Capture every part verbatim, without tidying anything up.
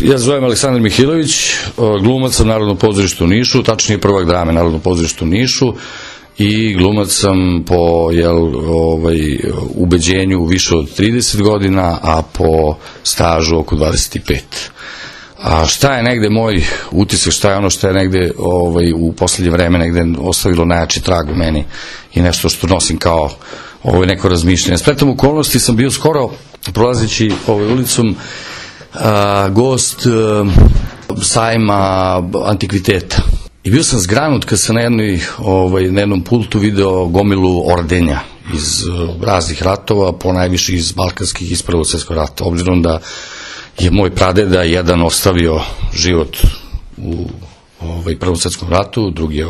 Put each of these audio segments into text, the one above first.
Ja se zovem Aleksandar Mihilović, glumac sam Narodnog pozorišta u Nišu, tačnije prvak drame Narodnog pozorišta u Nišu i glumac sam po jel, ovaj, ubeđenju više od trideset godina, a po stažu oko dvadeset pet. A šta je negde moj utisak, šta je ono što je negde ovaj, u poslednje vreme negde ostavilo najjači trag u meni i nešto što nosim kao ovo neko razmišljanje. Spletom okolnosti sam bio skoro prolazeći ovaj ulicom a, gost a, sajma antikviteta. I bio sam zgranut kad sam na, jednoj, ovaj, na jednom pultu video gomilu ordenja iz uh, raznih ratova, po najviše iz balkanskih, iz Prvog svjetskog rata, obzirom da je moj pradeda jedan ostavio život u ovaj, Prvom svjetskom ratu, drugi je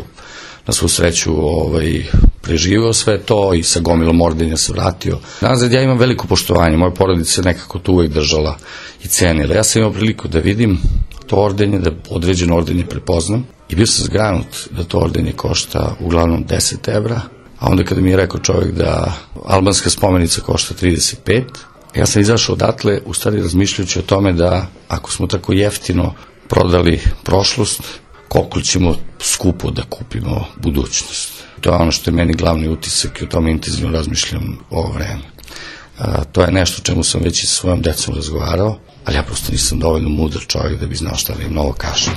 na svu sreću ovaj, preživio sve to i sa gomilom ordenja se vratio. Nazad, ja imam veliko poštovanje, moja porodica se nekako to uvek držala i cenila. Ja sam imao priliku da vidim to ordenje, da određeno ordenje prepoznam i bio sam zgranut da to ordenje košta uglavnom deset evra, a onda kada mi je rekao čovjek da albanska spomenica košta trideset pet, ja sam izašao odatle, u stvari razmišljajući o tome da ako smo tako jeftino prodali prošlost, koliko ćemo skupo da kupimo budućnost. To je ono što je meni glavni utisak i o tome intenzivno razmišljam ovo vreme. A, to je nešto o čemu sam već i sa svojom decom razgovarao, ali ja prosto nisam dovoljno mudar čovjek da bi znao šta da im novo kažem.